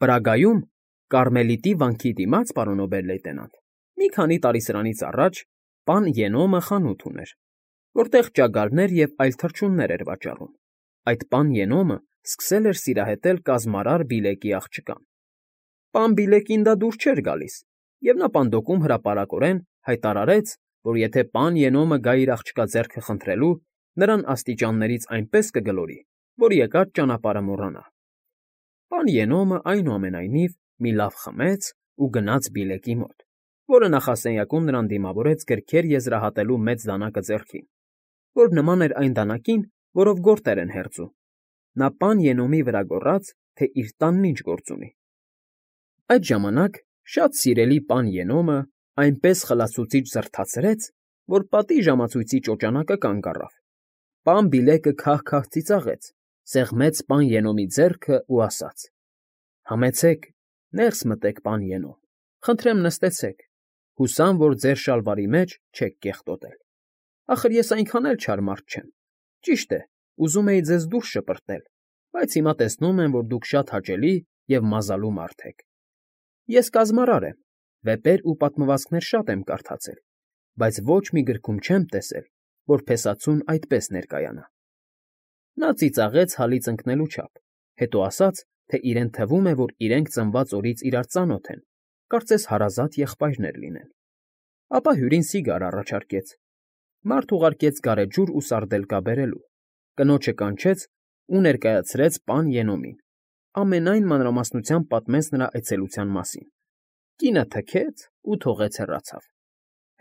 Պրագայում, Կարմելիտի վանքի դիմաց, պարոն օբեր֊լեյտենանտ, մի քանի տարի սրանից առաջ պան Ենոմը խանութ ուներ, որտեղ ճագարներ և այլ թռչուններ էր վաճառում։ Այդ պան Ենոմը սկսել էր սիրահետել կազմարար Բիլեկի աղջկան։ Պան Բիլեկին դա դուր չէր գալիս, և նա պանդոկում հրապարակորեն հայտարարեց, որ եթե պան Ենոմը գա իր աղջկա ձեռքը խնդրելու, նրան աստիճաններից այնպես կգլորի, որ եկած ճանապարհը մոռանա։ Պան Ենոմը, այնուամենայնիվ, մի լավ խմեց ու գնաց Բիլեկի մոտ, որը նախասենյակում նրան դիմավորեց գրքեր եզրահատելու մեծ դանակը ձեռքին, որ նման էր այն դանակին, որով գորտեր են հերձում։ Նա պան Ենոմի վրա գոռաց, թե իր տանն ինչ գործ ունի։ Այդ ժամանակ շատ սիրելի պան Ենոմը այնպես խլացուցիչ զրդացրեց, որ պատի ժամացույցի ճոճանակը կանգ առավ։ Պան Բիլեկը քահ-քահ ծիծաղեց, սեղմեց պան Ենոմի ձեռքը ու ասաց. «Համեցեք, ներս մտեք, պան Ենոմ, խնդրեմ նստեցեք, հուսամ, որ ձեր շալվարի մեջ չեք կեղտոտել։ Ախր ես այնքան էլ չար մարդ չեմ։ Ճիշտ է, ուզում էի ձեզ դուրս շպրտել, բայց հիմա տեսնում եմ, որ դուք շատ հաճելի և մազալու մարդ եք։ Ես կազմարար եմ, վեպեր ու պատմվածքներ շատ եմ կարդացել, բայց ոչ մի գրքում չեմ տեսել, որ փեսացուն այդպես ներկայանա»։ Նա ծիծաղեց հալից ընկնելու չափ, հետո ասաց, թե իրեն թվում է, որ իրենք ծնված օրից իրար ծանոթ են, կարծես հարազատ եղբայրներ լինեն։ Ապա հյուրին սիգար առաջարկեց։ Մարդ ուղարկեց գարեջուր ու սարդելկա բերելու, կնոջը կանչեց ու ներկայացրեց պան Ենոմին, ամենայն մանրամասնությամբ պատմեց նրա այցելության մասին։ Կինը թքեց ու թողեց հեռացավ։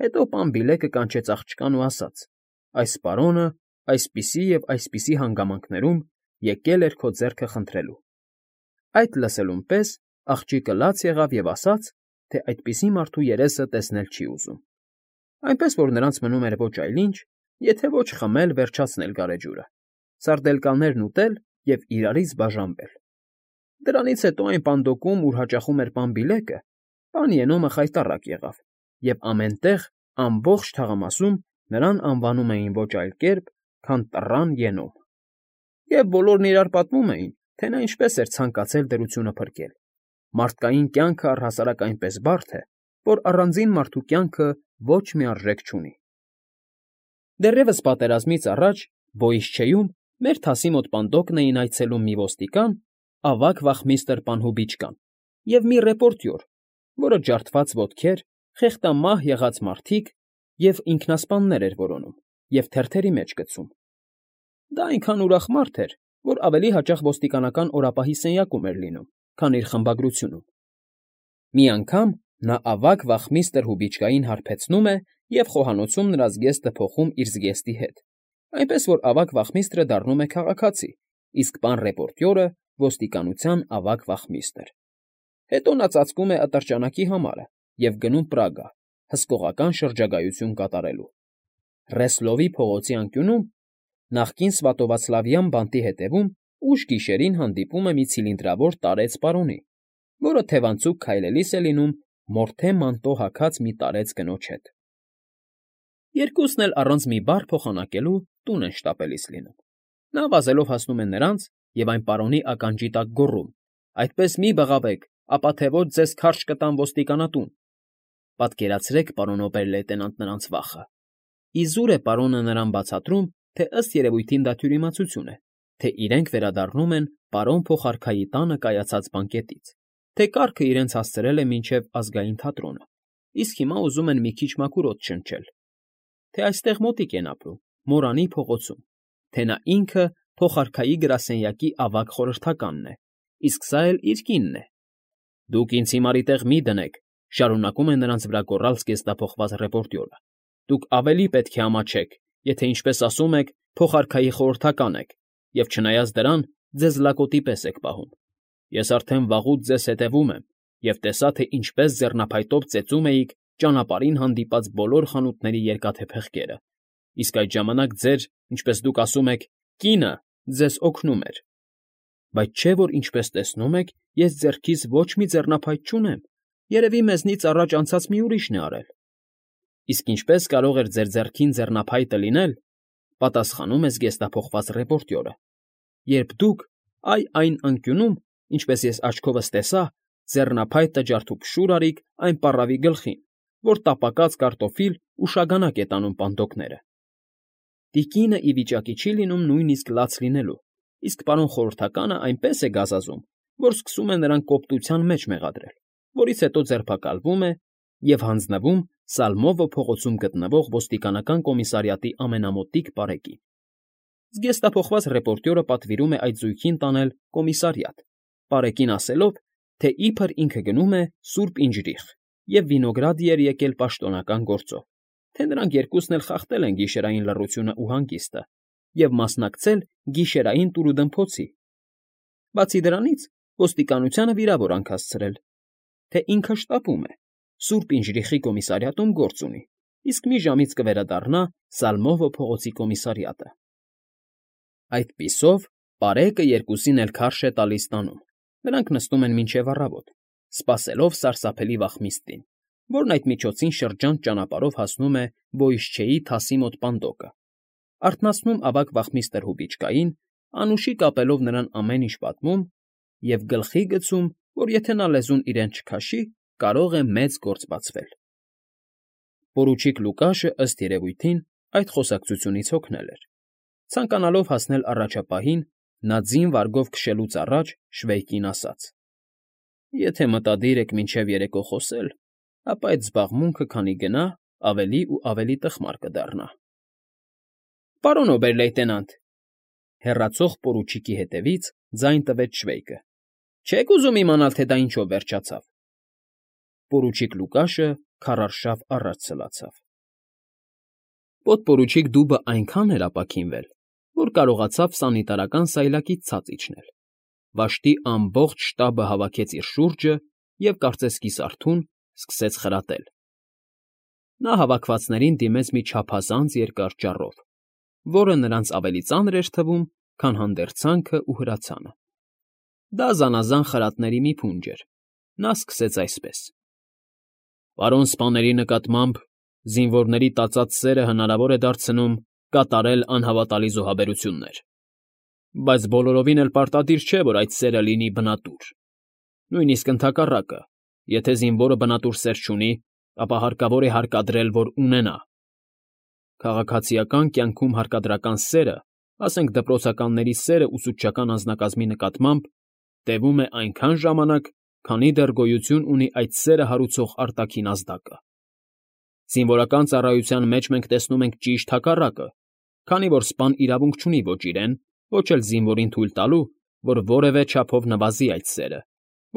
Հետո պան Բիլեկը կանչեց աղջկան ու ասաց. «Այս պարոնը այսպիսի և այսպիսի հանգամանքներում եկել էր քո ձեռքը խնդրելու»։ Այդ լսելուն պես աղջիկը լաց եղավ և ասաց, թե այդպիսի մարդու երեսը տեսնել չի ուզում, այնպես որ նրանց մնում էր ոչ այլ ինչ, եթե ոչ խմել, վերջացնել գարեջուրը, սարդելկաներն ուտել և իրարից բաժանվել։ Դրանից հետո այն պանդոկում, ուր հաճախում էր պան Բիլեկը, պան Ենոմը խայտառակ եղավ, և ամեն տեղ, ամբողջ թաղամասում նրան անվանում էին ոչ այլ կերպ, քան Տռան Ենոմ։ Եվ բոլորն իրար պատմում էին, թե նա ինչպես էր ցանկացել դրությունը փրկել։ Մարդկային կյանքը առհասարակ այնպես բարդ է, որ առանձին մարդու կյանքը ոչ մի արժեք չունի։ Դեռևս պատերազմից առաջ Բոյիսչեյում մեր թասի մոտ պանդոկն էին այցելում մի ոստիկան, ավագ վախմիստր Պանհուբիչկան, և մի ռեպորտյոր, որը ջարդված ոտքեր, խեղտամահ եղած մարդիկ և ինքնասպաններ էր որոնում և թերթերի մեջ գցում։ Դա այնքան ուրախ մարդ էր, որ ավելի հաճախ ոստիկանական օրապահի սենյակում էր լինում, քան իր խմբագրությունում։ Մի անգամ նա ավագ վախմիստր Հուբիչկային հարբեցնում է և խոհանոցում նրա զգեստը փոխում իր զգեստի հետ, այնպես որ ավագ վախմիստրը դառնում է քաղաքացի, իսկ պան ռեպորտյորը ոստիկանության ավագ վախմիստր։ Հետո նա ծածկում է ատրճանակի համարը և գնում Պրագա, հսկողական շրջագայություն կատարելու։ Ռեսլովի փողոցի անկյունում, նախկին Սվատովացլավյան բանտի հետևում, ուշ գիշերին հանդիպում է մի ցիլինդրավոր տարեց պարոնի, որը թևանցուկ քայլելիս է լինում մորթե մանտո հագած մի տարեց կնոջ հետ։ Երկուսն էլ առանց մի բառ փոխանակելու տուն են շտապելիս լինում։ Նա վազելով հասնում է նրանց և այն պարոնի ականջի տակ գոռում. «Այդպես մի բղավեք, ապա թե ոչ ձեզ քարշ կտամ ոստիկանատուն»։ Պատկերացրեք, պարոն օբեր֊լեյտենանտ, նրանց վախը։ Իզուր է պարոնը նրան բացատրում, թե ըստ երևույթին դա թյուրիմացություն է, թե իրենք վերադառնում են պարոն փոխարքայի տանը կայացած բանկետից, թե կառքը իրենց հասցրել է մինչև Ազգային թատրոնը, իսկ հիմա ուզում են մի քիչ մաքուր օդ շնչել, թե այստեղ մոտիկ են ապրում, Մորանի փողոցում, թե նա ինքը փոխարքայի գրասենյակի ավագ խորհրդականն է, իսկ սա էլ իր կինն է։ «Դուք ինձ հիմարի տեղ մի դնեք», շարունակում է նրանց վրա գոռալ զգեստափոխված ռեպորտյորը։ «Դուք ավելի պետք է ամաչեք, եթե, ինչպես ասում եք, փոխարքայի խորհրդական եք, և չնայած դրան, ձեզ լակոտի պես եք պահում։ Ես արդեն վաղուց ձեզ հետևում եմ և տեսա, թե ինչպես ձեռնափայտով ծեծում էիք ճանապարհին հանդիպած բոլոր խանութների երկաթե փեղկերը, իսկ այդ ժամանակ ձեր, ինչպես դուք ասում եք, կինը ձեզ օգնում էր։ Բայց չէ՞ որ, ինչպես տեսնում եք, ես ձեռքիս ոչ մի ձեռնափայտ չունեմ, երևի մեզնից առաջ անցած մի ուրիշն է արել»։ «Իսկ ինչպե՞ս կարող էր ձեր ձեռքին ձեռնափայտը լինել», պատասխանում է զգեստափոխված ռեպորտյորը, «երբ դուք այն անկյունում ինչպես ես աչքովս տեսա, ձեռնափայտը ջարդուփշուր արիկ այն պառավի գլխին, որ տապակած կարտոֆիլ ու շագանակ է տանում պանդոկները։ Տիկինը ի վիճակի չի լինում նույնիսկ լաց լինելու, իսկ պարոն խորհրդականը այնպես է գազազում, որ սկսում է նրան կոպտության մեջ մեղադրել, որից հետո ձերբակալվում է և հանձնվում Սալմովո փողոցում գտնվող ոստիկանական կոմիսարիատի ամենամոտիկ պարեկին։ Զգեստափոխված ռեպորտյորը պատվիրում է այդ զույգին տանել կոմիսարիատ, պարեկին ասելով, թե իբր ինքը գնում է Սուրբ Ինջրիխ և Վինոգրադի էր եկել պաշտոնական գործով, թե նրանք երկուսն էլ խախտել են գիշերային լռությունն ու հանգիստը և մասնակցել գիշերային տուրուդմփոցի։ Բացի դրանից, ոստիկանությանը վիրավոր հասցրել, թե ինքը շտապում է, Սուրբ Ինջրիխի կոմիսարիատում գործ ունի, իսկ մի ժամից կվերադառնա Սալմովո փողոցի կոմիսարիատը։ Այդպիսով պարեկը երկուսին էլ քարշ է տալիս տանում, նրանք նստում են մինչև առավոտ, սպասելով սարսափելի վախմիստին, որն այդ միջոցին շրջանց ճանապարհով հասնում է Բոյիշչեի թասի մոտ պանդոկը, արթնացնում ավագ վախմիստր Հուբիչկային, անուշի կապելով նրան ամեն ինչ պատմում և գլխի գցում, որ եթե նա լեզուն իրեն չքաշի, կարող է մեծ գործ բացվել։ Պորուչիկ Լուկաշը, ըստ երևույթին, այդ խոսակցությունից հոգնել էր։ Ցանկանալով հասնել առաջապահին, նա ձին վարգով քշելուց առաջ Շվեյկին ասաց. «Եթե մտադիր եք մինչև երեկո խոսել, ապա այդ զբաղմունքը քանի գնա, ավելի ու ավելի տխմար կդառնա»։ «Պարոն օբեր֊լեյտենանտ», հեռացող պորուչիկի հետևից ձայն տվեց Շվեյկը, «չե՞ք ուզում իմանալ, թե դա ինչով վերջացավ»։ Պորուչիկ Լուկաշը քարարշավ առաջ սլացավ։ Պոդպորուչիկ Դուբը այնքան էր ապաքինվել, որ կարողացավ սանիտարական սայլակից ցած իջնել։ Վաշտի ամբողջ շտաբը հավաքեց իր շուրջը և, կարծես կիսարթուն, սկսեց խրատել։ Նա հավաքվածներին դիմեց մի չափազանց երկար ճառով, որը նրանց ավելի ծանր էր թվում, քան հանդերձանքը ու հրացանը։ Դա զանազան խրատների մի փունջ էր։ Նա սկսեց այսպես. «Պարոն սպաների նկատմամբ զինվորների տածած սերը հնարավոր է դարձնում կատարել անհավատալի զոհաբերություններ, բայց բոլորովին էլ պարտադիր չէ, որ այդ սերը լինի բնատուր։ Նույնիսկ ընդհակառակը, եթե զինվորը բնատուր սեր չունի, ապա հարկավոր է հարկադրել, որ ունենա։ Քաղաքացիական կյանքում հարկադրական սերը, ասենք դպրոցականների սերը ուսուցչական անձնակազմի նկատմամբ, տևում է այնքան ժամանակ, քանի դեռ գոյություն ունի այդ սերը հարուցող արտաքին ազդակը։ Զինվորական ծառայության մեջ մենք տեսնում ենք ճիշտ հակառակը, քանի որ սպան իրավունք չունի ոչ իրեն, ոչ էլ զինվորին թույլ տալու, որ որևէ չափով նվազի այդ սերը,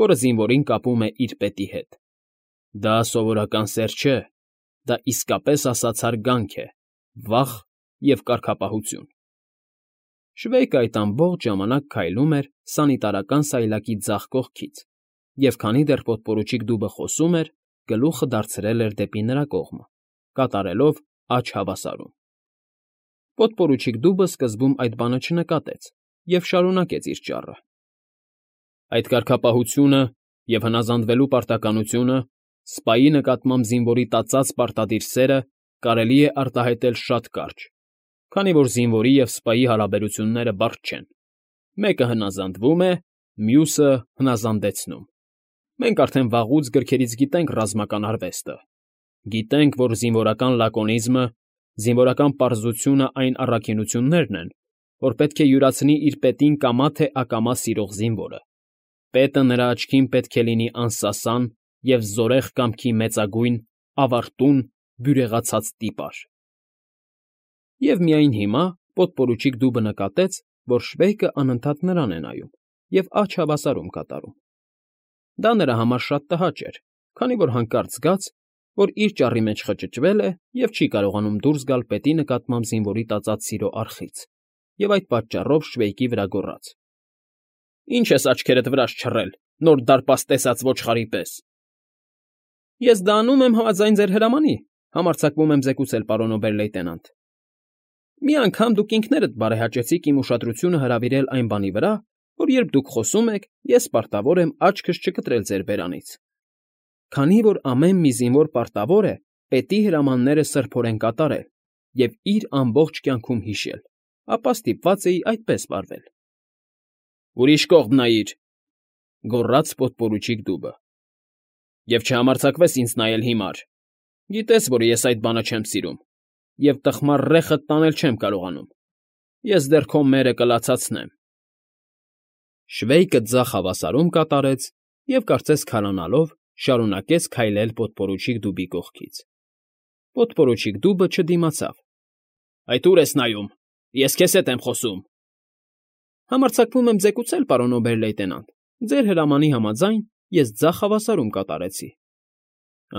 որը զինվորին կապում է իր պետի հետ։ Դա սովորական սեր չէ, դա իսկապես ասած հարգանք է, վախ և կարգապահություն։ Շվեյկը այդ ամբողջ ժամանակ քայլում էր սանիտարական սայլակի ձախ կողքից, և քանի դեռ պոդպորուչիկ Դուբը խոսում էր, գլուխը դարձրել էր դեպի նրա կողմը, կատարելով աջ հավասարում։ Պոդպորուչիկ Դուբը սկզբում այդ բանը չնկատեց և շարունակեց իր ճառը։ Այդ կարգապահությունը և հնազանդվելու պարտականությունը, սպայի նկատմամբ զինվորի տածած պարտադիր սերը կարելի է արտահայտել շատ կարճ, քանի որ զինվորի և սպայի հարաբերությունները բարդ չեն։ Մեկը հնազանդվում է, մյուսը հնազանդեցնում։ Մենք արդեն վաղուց գրքերից գիտենք ռազմական արվեստը։ Գիտենք, որ զինվորական լակոնիզմը, զինվորական պարզությունը այն առաքինություններն են, որ պետք է յուրացնի իր պետին կամա թե ակամա սիրող զինվորը։ Պետը նրա աչքին պետք է լինի անսասան և զորեղ կամքի մեծագույն, ավարտուն, բյուրեղացած տիպար։ Եվ միայն հիմա պոդպորուչիկ Դուբը նկատեց, որ Շվեյկը անընդհատ նրան է նայում և աջ հավասարում կատարում։ Դա նրա համար շատ տհաճ էր, քանի որ հանկարծ զգաց, որ իր ճառի մեջ խճճվել է և չի կարողանում դուրս գալ պետի նկատմամբ զինվորի տածած սիրո արխից, և այդ պատճառով Շվեյկի վրա գոռաց. «Ի՞նչ ես աչքերդ վրաս չռել, նոր դարպաս տեսած ոչխարի պես»։ Ես դա անում եմ համաձայն ձեր հրամանի, համարձակվում եմ զեկուցել, պարոն օբեր֊լեյտենանտ։ Մի անգամ դուք ինքներդ բարեհաճեցիք իմ ուշադրությունը հրավիրել այն բանի վրա, որ երբ դուք խոսում եք, ես պարտավոր եմ աչքս չկտրել ձեր բերանից։ Քանի որ ամեն մի զինվոր պարտավոր է պետի հրամանները սրբորեն կատարել և իր ամբողջ կյանքում հիշել, ապա ստիպված էի այդպես վարվել։ Ուրիշ կողմ նայիր։ գոռաց պոդպորուչիկ դուբը։ Եվ չհամարձակվես ինձ նայել հիմար։ Գիտես, որ ես այդ բանը չեմ սիրում, և տխմար ռեխդ տանել չեմ կարողանում։ Ես դեռ քո մերը կլացացնեմ։ Շվեյկը ձախ հավասարում կատարեց և, կարծես քարանալով, շարունակեց քայլել պոդպորուչիկ դուբի կողքից։ Պոդպորուչիկ դուբը չդիմացավ։ Այդ ուր ես նայում։ Ես քեզ հետ եմ խոսում։ Համարձակվում եմ զեկուցել, պարոն օբեր֊լեյտենանտ, ձեր հրամանի համաձայն ես ձախ հավասարում կատարեցի։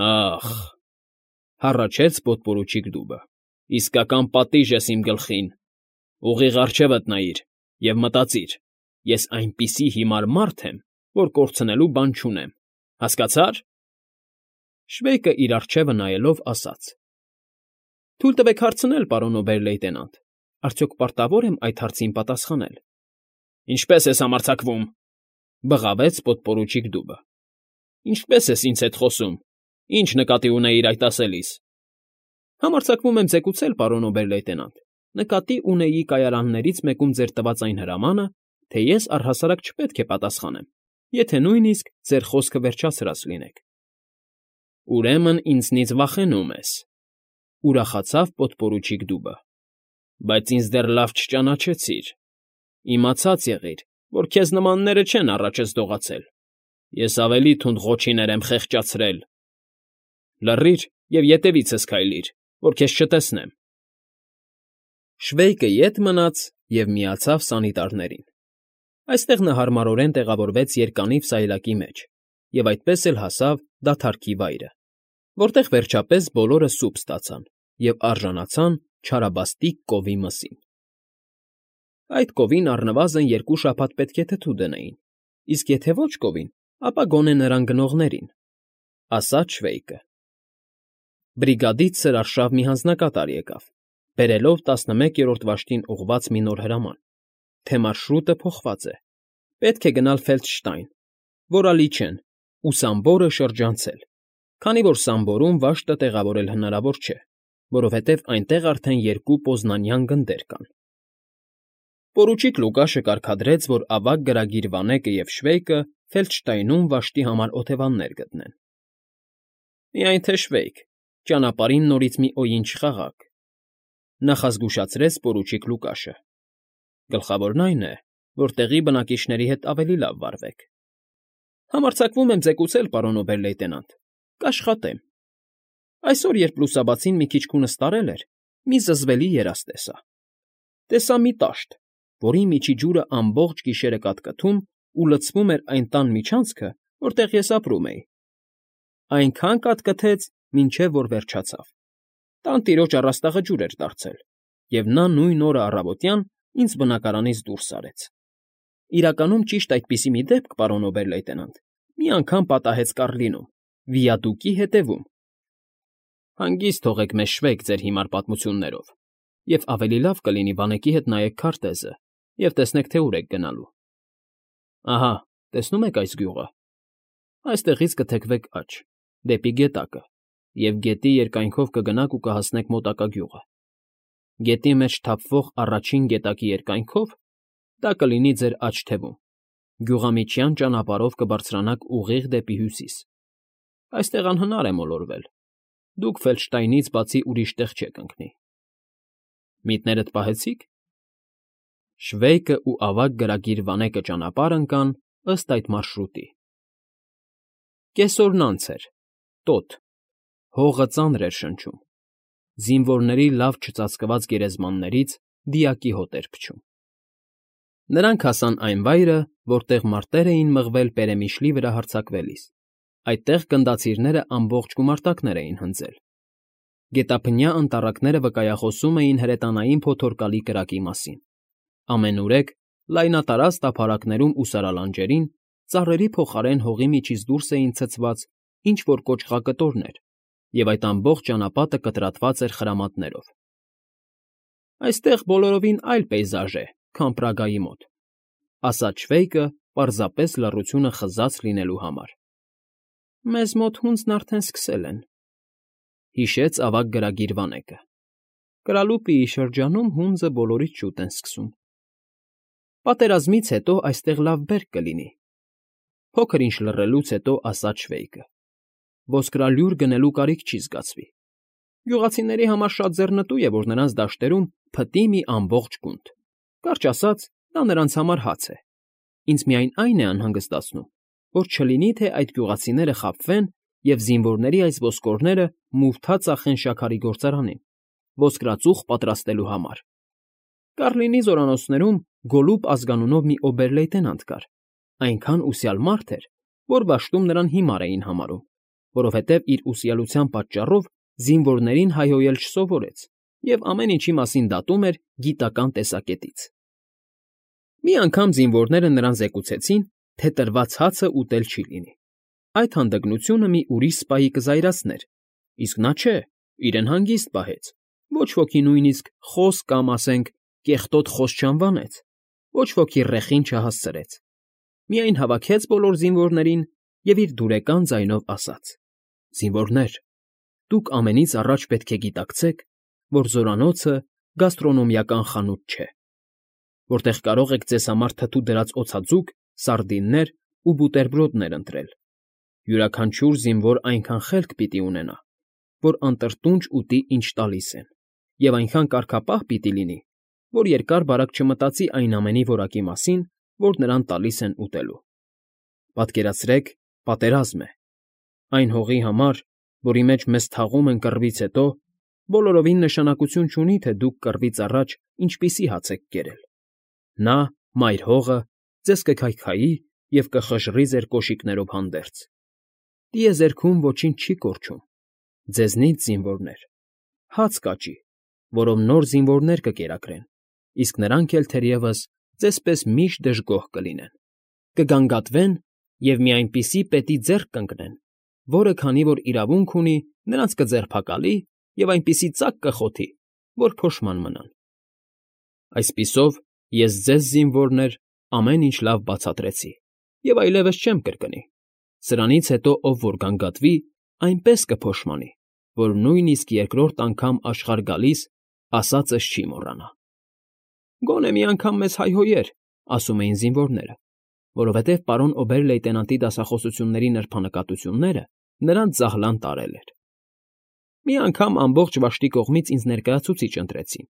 Ախ, հառաչեց պոդպորուչիկ դուբը, իսկական պատիժ ես իմ գլխին։ Ուղիղ առջևդ նայիր և մտածիր, ես այնպիսի հիմար մարդ եմ, որ կորցնելու բան չունեմ, հասկացա՞ր։ Շվեյկը իր առջևը նայելով ասաց. Թույլ տվեք հարցնել, պարոն օբեր֊լեյտենանտ, արդյոք պարտավոր եմ այդ հարցին պատասխանել։ Ինչպե՞ս ես համարձակվում,֊ բղավեց պոդպորուչիկ դուբը։ Ինչպե՞ս ես ինձ հետ խոսում։ Ինչ նկատի ունեիր այդ ասելիս։ Համարձակվում եմ զեկուցել, պարոն օբեր֊լեյտենանտ, նկատի ունեի կայարաններից մեկում ձեր տված այն հրամանը, թե ես առհասարակ չպետք է պատասխանեմ, եթե նույնիսկ ձեր խոսքը վերջացրած լինեք։ Ուրեմն ինձնից վախենում ես,֊ ուրախացավ պոդպորուչիկ դուբը։ Բայց ինձ դեռ լավ չճանաչեցիր։ Իմացած եղիր, որ քեզ նմանները չեն առաջս դողացել։ Ես ավելի թունդ ղոչիներ եմ խեղճացրել։ Լռիր և ետևիցս քայլիր, որ քեզ չտեսնեմ։ Շվեյկը ետ մնաց և միացավ սանիտարներին։ Այստեղ նա հարմարորեն տեղավորվեց երկանիվ սայլակի մեջ և այդպես էլ հասավ դադարքի վայրը, որտեղ վերջապես բոլորը սուպ ստացան և արժանացան չարաբաստիկ կովի մսին։ Այդ կովին առնվազն 2 շաբաթ պետք է թթու դնեին, իսկ եթե ոչ կովին, ապա գոնե նրան գնողներին,֊ ասաց Շվեյկը։ Բրիգադից սրարշավ մի հանձնակատար եկավ, բերելով 11-րդ վաշտին ուղղված մի նոր հրաման, թե մարշրուտը փոխված է, պետք է գնալ Ֆելդշտայն, որ ալի չեն, ու Սամբորը շրջանցել, քանի որ Սամբորում վաշտը տեղավորել հնարավոր չէ, որովհետև այնտեղ արդեն 2 պոզնանյան գնդեր կան։ Պորուչիկ Լուկաշը կարգադրեց, որ ավագ գրագիր Վանեկը և Շվեյկը Ֆելդշտայնում վաշտի համար օթևաններ գտնեն։ Միայն թե Շվեյկ, ճանապարհին նորից մի օյին չխաղաք,֊ նախազգուշացրեց պորուչիկ Լուկաշը։ Գլխավորն այն է, որ տեղի բնակիչների հետ ավելի լավ վարվեք։ Համարձակվում եմ զեկուցել, պարոն օբեր֊լեյտենանտ, կաշխատեմ։ Այսօր, երբ լուսաբացին մի քիչ քունս տարել էր, մի զզվելի երազ տեսա։ Տեսա մի տաշտ, որի միջի ջուրը ամբողջ գիշերը կատկթում ու լցվում էր այն տան միջանցքը, որտեղ ես ապրում էի։ Այնքան կատկթեց, մինչև որ վերջացավ։ Տանտիրոջ առաստաղը ջուր էր դարձել, և նա նույն օրը առավոտյան ինձ բնակարանից դուրս արեց։ Իրականում ճիշտ այդպիսի մի դեպք, պարոն օբեր֊լեյտենանտ, մի անգամ պատահեց Կառլինում, Վիադուկի հետևում։ Հանգիստ թողեք մեզ, Շվեյկ, ձեր հիմար պատմություններով, և ավելի լավ կլինի Վանեկի հետ նայեք քարտեզը և տեսնեք, թե ուր եք գնալու։ Ահա, տեսնում եք այս գյուղը։ Այստեղից կթեքվեք աջ, դեպի գետակը, և գետի երկայնքով կգնաք ու կհասնեք մոտակա գյուղը։ Գետի մեջ թափվող առաջին գետակի երկայնքով դա կլինի ձեր աջ թևում, գյուղամիջյան ճանապարհով կբարձրանաք ուղիղ դեպի հյուսիս։ Այստեղ անհնար է մոլորվել։ Դուք Ֆելդշտայնից բացի ուրիշ տեղ չեք ընկնի։ Միտներդ պահեցի՞ք։ Շվեյկը ու ավագ գրագիր Վանեկը ճանապարհ ընկան ըստ այդ մարշրուտի։ Կեսօրն անց էր, տոտ, հողը ծանր էր շնչում, զինվորների լավ չծածկված գերեզմաններից դիակի հոտ էր փչում։ Նրանք հասան այն վայրը, որտեղ մարտեր էին մղվել Պերեմիշլի վրա հարձակվելիս։ Այդտեղ գնդացիրները ամբողջ գումարտակներ էին հնձել։ Գետափնյա անտառակները վկայախոսում էին հրետանային փոթորկալի կրակի մասին։ Ամենուրեք լայնատարած տափարակներում ու սարալանջերին ծառերի փոխարեն հողի միջից դուրս էին ցցված ինչ-որ կոճղակտորներ, և այդ ամբողջ ճանապատը կտրատված էր խրամատներով։ Այստեղ բոլորովին այլ պեյզաժ է, քան Պրագայի մոտ,֊ ասաց Շվեյկը պարզապես լռությունը խզած լինելու համար։ Մեզ մոտ հունձն արդեն սկսել են,֊ հիշեց ավագ գրագիր Վանեկը։ Կրալուպիի շրջանում հունձը բոլորից շուտ են սկսում։ Պատերազմից հետո այստեղ լավ բերք կլինի։ Փոքր ինչ լռելուց հետո ասաց Շվեյկը. ոսկրալյուր գնելու կարիք չի զգացվի։ Գյուղացիների համար շատ ձեռնտու է, որ նրանց դաշտերում փտի մի ամբողջ գունդ։ Կարճ ասած, դա նրանց համար հաց է։ Ինձ միայն այն է անհանգստացնում, որ չլինի, թե այդ գյուղացիները խաբվեն և զինվորների այս ոսկորները մութա ծախեն շաքարի գործարանին, ոսկրածուխ պատրաստելու համար։ Կառլինի զորանոցներում Գոլլուբ ազգանունով մի օբեր֊լեյտենանտ կար, այնքան ուսյալ մարդ էր, որ դաշտում նրան հիմար էին համարում, որովհետև իր ուսյալության պատճառով զինվորներին հայհոյել չսովորեց և ամեն ինչի մասին դատում էր գիտական տեսակետից։ Մի անգամ զինվորները նրան զեկուցեցին, թե տրված հացը ուտել չի լինի։ Այդ հանդգնությունը մի ուրիշ սպայի կզայրացներ, իսկ նա չէ, իրեն հանգիստ պահեց, ոչ ոքի նույնիսկ խոս կամ, ասենք, կեղտոտ խոս չանվանեց, ոչ ոքի ռեխին չհասցրեց, միայն հավաքեց բոլոր զինվորներին և իր դուրեկան ձայնով ասաց. «Զինվորներ, դուք ամենից առաջ պետք է գիտակցեք, որ զորանոցը գաստրոնոմիական խանութ չէ, որտեղ կարող եք ձեզ համար թթու դրած օձաձուկ, սարդիններ ու բուտերբրոդներ ընտրել։ Յուրաքանչյուր զինվոր այնքան խելք պիտի ունենա, որ անտրտունջ ուտի, ինչ տալիս են, և այնքան կարգապահ պիտի լինի, որ երկար֊բարակ չմտածի այն ամենի որակի մասին, որ նրան տալիս են ուտելու։ Պատկերացրեք, պատերազմ է։ Այն հողի համար, որի մեջ մեզ թաղում են կռվից հետո, բոլորովին նշանակություն չունի, թե դուք կռվից առաջ ինչպիսի հաց եք կերել։ Նա, մայր հողը, ձեզ կքայքայի և կխժռի ձեր կոշիկներով հանդերձ։ Տիեզերքում ոչինչ չի կորչում։ Ձեզնից, զինվորներ, հաց կաճի, որով նոր զինվորներ կկերակրեն, իսկ նրանք էլ թերևս ձեզպես միշտ դժգոհ կլինեն։ Կգանգատվեն և մի այնպիսի պետի ձեռք կընկնեն, որը, քանի որ իրավունք ունի, նրանց կձերբակալի և այնպիսի ծակ կխոթի, որ փոշման մնան։ Այսպիսով, ես ձեզ, զինվորներ, ամեն ինչ լավ բացատրեցի և այլևս չեմ կրկնի։ Սրանից հետո ով որ գանգատվի, այնպես կփոշմանի, որ նույնիսկ երկրորդ անգամ աշխարհ գալիս ասածս չի մոռանա։ Գոնե մի անգամ մեզ հայհոյեր, ասում էին զինվորները, որովհետև պարոն օբեր֊լեյտենանտի դասախոսությունների նրբանկատությունները նրանց ձահլան տարել էր։ Մի անգամ ամբողջ վաշտի կողմից ինձ ներկայացուցիչ ընտրեցին։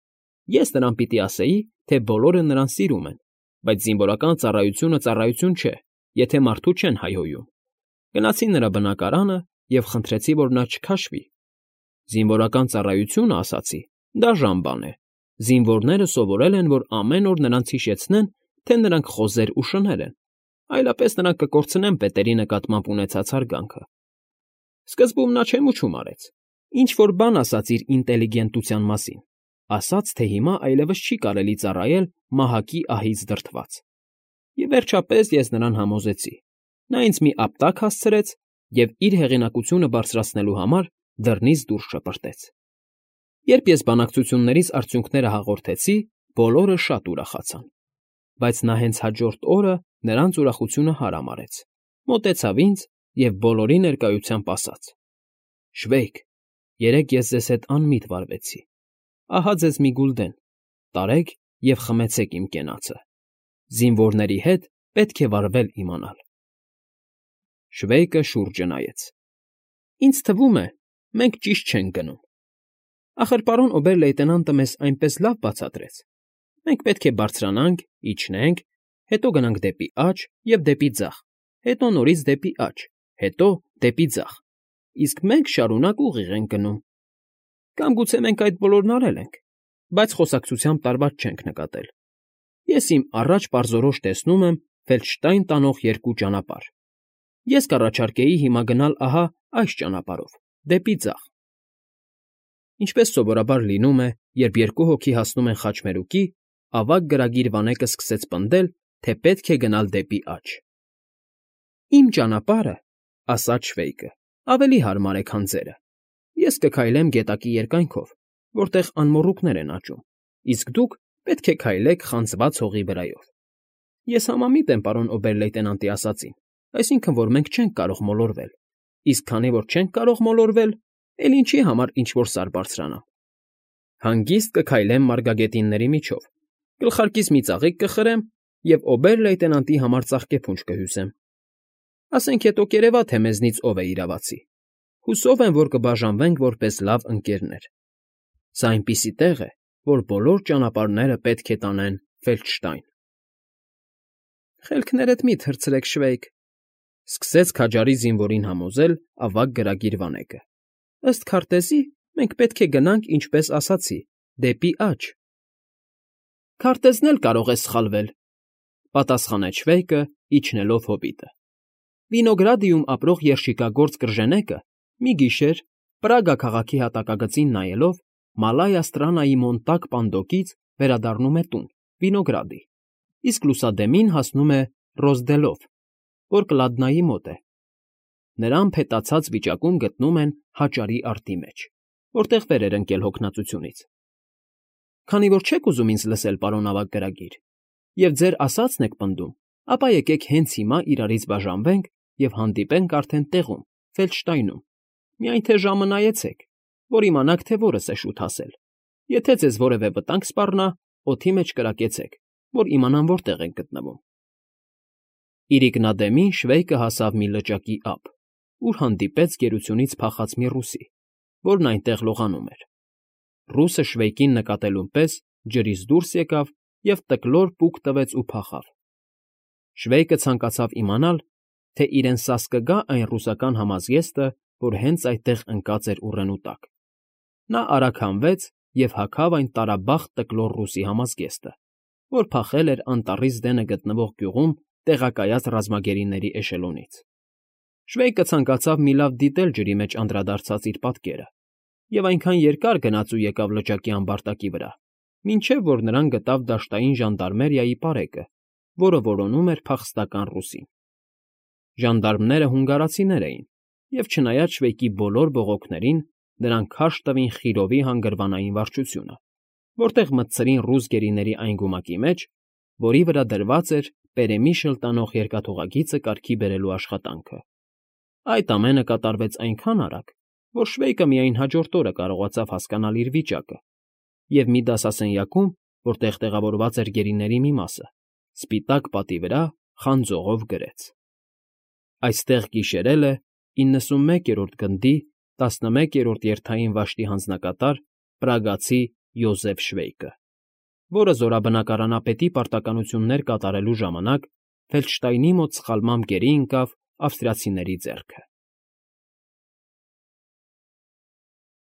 Ես նրան պիտի ասեի, թե բոլորը նրան սիրում են, բայց զինվորական ծառայությունը ծառայություն չէ, եթե մարդու չեն հայհոյում։ Գնացի նրա բնակարանը և խնդրեցի, որ նա չքաշվի։ Զինվորական ծառայությունը, ասացի, դաժան բան է։ Զինվորները սովորել են, որ ամեն օր նրանց հիշեցնեն, թե նրանք խոզեր ու շներ են, այլապես նրանք կկորցնեն պետերի նկատմամբ ունեցած հարգանքը։ Սկզբում նա չեմուչում արեց, ինչ֊որ բան ասաց իր ինտելիգենտության մասին, ասաց, թե հիմա այլևս չի կարելի ծառայել մահակի ահից դրդված։ Եվ վերջապես ես նրան համոզեցի։ Նա ինձ մի ապտակ հասցրեց և իր հեղինակությունը բարձրացնելու համար դռնից դուրս շպրտեց։ Երբ ես բանակցություններիս արդյունքները հաղորդեցի, բոլորը շատ ուրախացան։ Բայց նա հենց հաջորդ օրը նրանց ուրախությունը հարամ արեց, մոտեցավ ինձ և բոլորի ներկայությամբ ասաց. «Շվեյք, երեկ ես ձեզ հետ անմիտ վարվեցի։ Ահա ձեզ մի գուլդեն, տարեք և խմեցեք իմ կենացը։ Զինվորների հետ պետք է վարվել իմանալ»։ Շվեյկը շուրջը նայեց։ «Ինձ թվում է, մենք ճիշտ չենք գնում։ Ախր պարոն օբեր֊լեյտենանտը մեզ այնպես լավ բացատրեց։ Մենք պետք է բարձրանանք, իջնենք, հետո գնանք դեպի աջ և դեպի ձախ, հետո նորից դեպի աջ, հետո դեպի ձախ, իսկ մենք շարունակ ուղիղ ենք գնում։ Կամ գուցե մենք այդ բոլորն արել ենք, բայց խոսակցությամբ տարված չենք նկատել։ Ես իմ առաջ պարզորոշ տեսնում եմ Ֆելդշտայն տանող երկու ճանապարհ։ Ես կառաջարկեի հիմա գնալ ահա այս ճանապարհով, դեպի ձախ։ Ինչպես սովորաբար լինում է, երբ երկու հոգի հասնում են խաչմերուկի, ավագ գրագիր վանեկը սկսեց պնդել, թե պետք է գնալ դեպի աջ։ «Իմ ճանապարհը, ֊ ասաց Շվեյկը, ֊ ավելի հարմար է, քան ձերը։ Ես կքայլեմ գետակի երկայնքով, որտեղ անմոռուկներ են աճում, իսկ դուք պետք է քայլեք խանձված հողի վրայով։ Ես համամիտ եմ պարոն օբեր֊լեյտենանտի ասածին, այսինքն, որ մենք չենք կարող մոլորվել, իսկ քանի որ չենք կարող մոլորվել, էլ ինչի համար ինչ֊որ սար բարձրանամ։ Հանգիստ կքայլեմ մարգագետինների միջով, գլխարկիս մի ծաղիկ կխրեմ և օբեր֊լեյտենանտի համար ծաղկեփունջ կհյուսեմ։ Ասենք հետո կերևա, թե մեզնից ով է իրավացի։ Հուսով եմ, որ կբաժանվենք որպես լավ ընկերներ։ Սա այնպիսի տեղ է, որ բոլոր ճանապարհները պետք է տանեն Ֆելդշտայն։ Խելքներդ մի թռցրեք, Շվեյք,֊ սկսեց քաջարի զինվորին համոզել ավագ գրագիր վանեկը։ Ըստ քարտեզի, մենք պետք է գնանք, ինչպես ասացի, դեպի աջ։ Քարտեզն էլ կարող է սխալվել,֊ պատասխանեց Շվեյկը, իջնելով հոբիտը։ Վինոգրադիում ապրող երշիկագործ կրժենեկը մի գիշեր, Պրագա քաղաքի հատակագծին նայելով, Մալայա Ստրանայի Մոնտակ պանդոկից վերադառնում է տուն, Վինոգրադի, իսկ լուսադեմին հասնում է Ռոզդելով, որ Կլադնայի մոտ է։ Նրան փետացած վիճակում գտնում են հաճարի արտի մեջ, որտեղ վեր էր ընկել հոգնածությունից։ Քանի որ չեք ուզում ինձ լսել, պարոն ավագ գրագիր, և ձեր ասածն եք պնդում, ապա եկեք հենց հիմա իրարից բաժանվենք և հանդիպենք արդեն տեղում, Ֆելդշտայնում։ Միայն թե ժամը նայեցեք, որ իմանաք, թե որս է շուտ հասել։ Եթե ձեզ որևէ վտանգ սպառնա, օդի մեջ կրակեցեք, որ իմանամ որտեղ ենք գտնվում։ Իրիկնադեմին Շվեյկը հասավ մի լճակի ափ, ուր հանդիպեց գերությունից փախած մի ռուսի, որն այնտեղ լողանում էր։ Ռուսը Շվեյկին նկատելուն պես ջրից դուրս եկավ և տկլոր պուկ տվեց ու փախավ։ Շվեյկը ցանկացավ իմանալ, թե իրեն սաս կգա այն ռուսական համազգեստը, որ հենց այդտեղ ընկած էր ուռենու տակ։ Նա արագ հանվեց և հագավ այն տարաբախտ տկլոր ռուսի համազգեստը, որ փախել էր անտառից դենը գտնվող գյուղում տեղակայած ռազմագերիների էշելոնից։ Շվեյկը ցանկացավ մի լավ դիտել ջրի մեջ անդրադարձած իր պատկերը և այնքան երկար գնաց ու եկավ լճակի ամբարտակի վրա, մինչև որ նրան գտավ դաշտային ժանդարմերիայի պարեկը, որը որոնում էր փախստական ռուսին։ Ժանդարմները հունգարացիներ էին, և չնայած Շվեյկի բոլոր բողոքներին, նրանք քարշ տվին Խիրովի հանգրվանային վարչությունը, որտեղ մտցրին ռուս գերիների այն գումակի մեջ, որի վրա դրված էր պերեմիշլ տանող երկաթուղագիծը կարգի բերելու աշխատանքը։ Այդ ամենը կատարվեց այնքան արագ, որ Շվեյկը միայն հաջորդ օրը կարողացավ հասկանալ իր վիճակը, և մի դասասենյակում, որտեղ տեղավորված էր գերիների մի մասը, սպիտակ պատի վրա խանձողով գրեց. Այստեղ գիշերել է 91-րդ գնդի 11-րդ երթային վաշտի հանձնակատար պրագացի Յոզեֆ Շվեյկը, որը զորաբնակարանապետի պարտականություններ կատարելու ժամանակ Ֆելդշտայնի մոտ սխալմամբ գերի ընկավ ավստրիացիների ձեռքը։